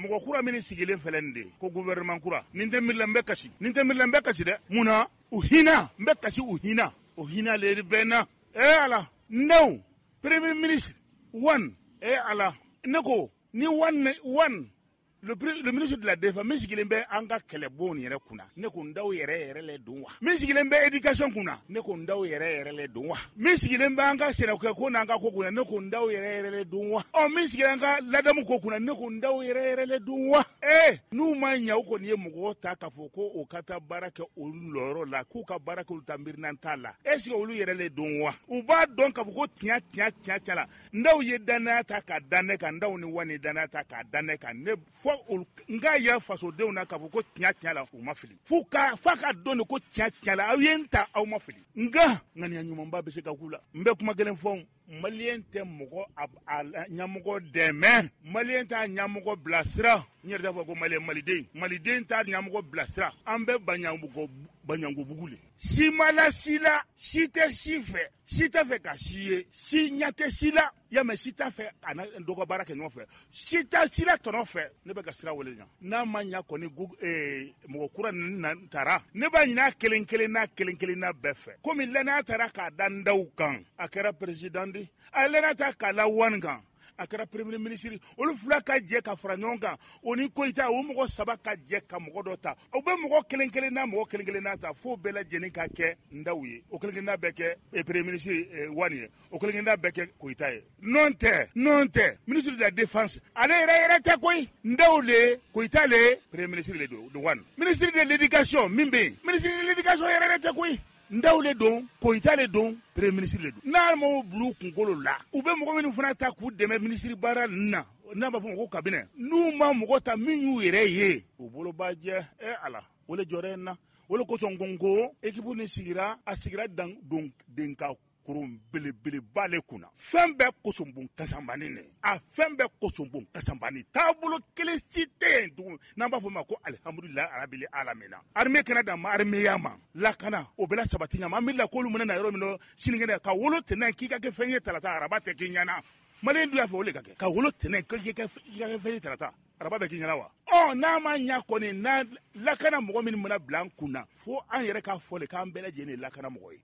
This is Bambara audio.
Mɔgɔ kura min sigilen filɛ nin de ye ko gouvernement kura, nin tɛ miiri la, n bɛ kasi. Nin tɛ miiri la, n bɛ kasi dɛ. Mun na? U hinɛ, n bɛ kasi u hinɛ, o hinɛ le bɛ n na. Eh Ala, Ndaw, premier ministre Wan, eh Ala, ne ko ni Wan Wan le ministre de la Défense min sigilen bɛ an ka kɛlɛbon yɛrɛ kunna, ne ko Ndaw yɛrɛ yɛrɛ le don wa? Min sigilen bɛ éducation kunna, ne ko Ndaw yɛrɛ yɛrɛ le don wa? Min sigilen bɛ an ka sɛnɛkɛ ko n'an ka ko kunna, ne ko Ndaw yɛrɛ yɛrɛ le don wa? Ɔ, min sigilen an ka ladamu ko kunna, ne ko Ndaw yɛrɛ yɛrɛ le don wa? Ee, n'u ma ɲɛ, u kɔni ye mɔgɔw ta k'a fɔ ko o ka taa baara kɛ olu lɔyɔrɔ la, k'u ka baara kɛ olu ta miirinan t'a la, est ce que olu yɛrɛ le don wa? U b'a dɔn k'a fɔ ko tiɲɛ tiɲɛ tiɲɛ tiɲɛ la, Ndaw ye danaya ta k'a da ne kan, Ndaw ni Wani danaya ta k'a da ne kan. Ne fɔ n k'a yira fasodenw na k'a fɔ ko tiɲɛ tiɲɛ la, u ma fili. F'u ka f'a ka dɔn de ko tiɲɛ tiɲɛ la, aw ye n ta, aw ma fili. Nka ŋaniya ɲumanba bɛ se ka k'u la. N bɛ kuma kelen fɔ: Maliyɛn tɛ mɔgɔ a ɲɛmɔgɔ dɛmɛ, Maliyɛn t'a ɲɛmɔgɔ bilasira. N yɛrɛ t'a fɔ ko Maliyɛn, Maliden, Maliden t'a ɲɛmɔgɔ bilasira. An bɛ baɲango baɲangobugu le, si ma la si la, si tɛ si fɛ, si tɛ fɛ ka si ye, si ɲɛ tɛ si la y'a mɛn, si t'a fɛ a na dɔ ka baara kɛ ɲɔgɔn fɛ, si tɛ si la tɔnɔ fɛ. Ne bɛ ka sira wele ɲa, n'a ma ɲa kɔni, mɔgɔ kura ninnu na taara, ne b'a ɲini a kelen kelen n'a kelen kelen n'a bɛɛ fɛ. Komi lɛnaya taara k'a da n daw kan, a kɛra président di, a ye lɛnaya ta k'a la Wani kan, a kɛra premier ministre, olu fila ka jɛ ka fara ɲɔgɔn kan, o ni Koyita, o mɔgɔ saba ka jɛ ka mɔgɔ dɔ ta. O bɛ mɔgɔ kelen kelen n'a mɔgɔ kelen kelen n'a ta, fo bɛɛ lajɛlen ka kɛ Ndaw ye, o kelen kelenna bɛɛ kɛ premier ministre Wani ye, o kelen kelenna bɛɛ kɛ Koyita ye. Non tɛ, non tɛ, ministre de la Défense, ale yɛrɛ yɛrɛ tɛ koyi. Ndaw le, Koyita le, premier ministre le don Wani. Ministre de l'Éducation min bɛ yen, ministre de l'Éducation yɛrɛ yɛrɛ tɛ koyi. Ndaw le don, Koyita le don, premier ministre le don. N'a m'o bila u kunkolo la, u bɛ mɔgɔ minnu fana ta k'u dɛmɛ ministre baara ninnu na, n'a b'a fɔ ma ko cabinet, n'u ma mɔgɔ ta min y'u yɛrɛ ye, u bolo b'a jɛ. E Ala, o le jɔrɛ in na, o le kosɔn ko n ko équipe nin sigira, a sigira dan don den ka koron belebeleba le kunna. Fɛn bɛɛ kosonbon kasanbani ne, a fɛn bɛɛ kosonbon kasanbani, taabolo kelen si tɛ yen tugun n'an b'a fɔ ma ko alihamudulilayi arabili alamina. Armée kɛnɛ dan ma armée ma lakana, o bɛɛ la sabati ɲama. An miirila k'olu mana na yɔrɔ min na sinikɛnɛ, ka wolo tɛnɛn k'i ka kɛ fɛn ye tarata, araba tɛ k'i ɲɛna. Maliyɛn dun y'a fɛ o le ka kɛ, ka wolo tɛnɛn k'i ka kɛ fɛn ye tarata, araba bɛ k'i ɲɛna wa? Ɔ, n'a ma ɲa kɔni, n'a lakana mɔgɔ min mana bila an kun na, fo an yɛrɛ k'a fɔ le k'an bɛɛ lajɛlen ye lakana mɔgɔ ye.